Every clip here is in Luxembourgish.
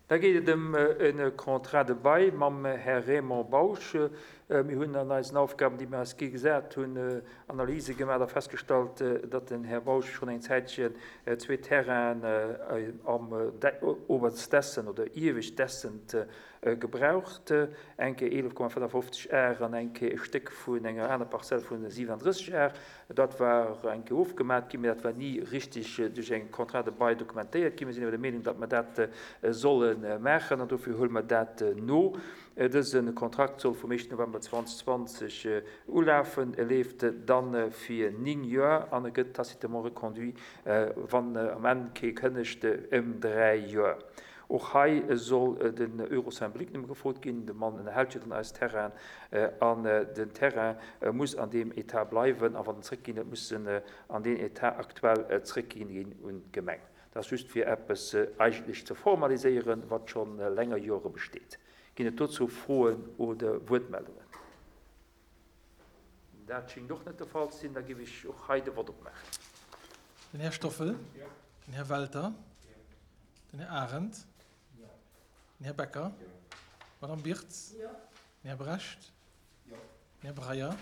Da geet et ëm e Contrat de bail mam Här Raymond Bausch. Mir hunn an eisen Aufgaben, déi mir eis gi gesat hunn, Analyse gemaach a festgestallt, datt den Här Bausch schonn eng Zäitchen zwee Terrainen am Oberstdessen oder Iewescht-Dessent gebraucht, eng Kéier 11,55 Ar an eng Kéier e Stéck vun enger aner Parzell vu 37 Ar. Dat war eng Kéier ofgemat ginn, mä dat war ni richtig duerch eng Contrat de bail dokumentéiert ginn. Mir sinn awer der Meenung, datt mer dat solle maachen, an dofir huele mer dat no. Dëse Kontrakt soll vum éischten November 2020 ulafen. E leeft da fir 9 Joer an e gëtt tacitement reconduit, wann am Enn kee kënnegt, ëm 3 Joer. Och hei soll den Euro symbolique nëmme gefrot ginn. De Mann ënnerhält jo dann eis Terrainen an den Terrain muss an deem Etat bleiwen a wann en zréckginn huet, muss en an deen Etat actuel zréckginn ginn un d'Gemeng. Dat ass just fir eppes eigentlech ze formaliséieren, wat scho länger Jore besteet. Ginn et dozou Froen oder Wuertmeldungen? Dat schéngt och net de Fall ze sinn. Da géif ech och hei de Vott opmaachen. Den Här Stoffel. Den Här Welter. Den Här Arendt. Den Här Becker. D'Madame Birtz. Den Här Brecht. Den Här Breyer.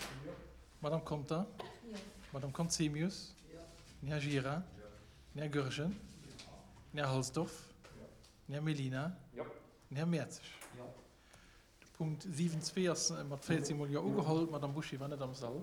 D'Madame Conter. D'Madame Conzemius. Den Här Gira. Den Här Goergen. Den Här Halsdorf. Den Här Mellina. Den Här Mertzig. De Punkt 7.2 ass mat 14 mol Jo ugeholl. D'Madame Bouché war net am Sall.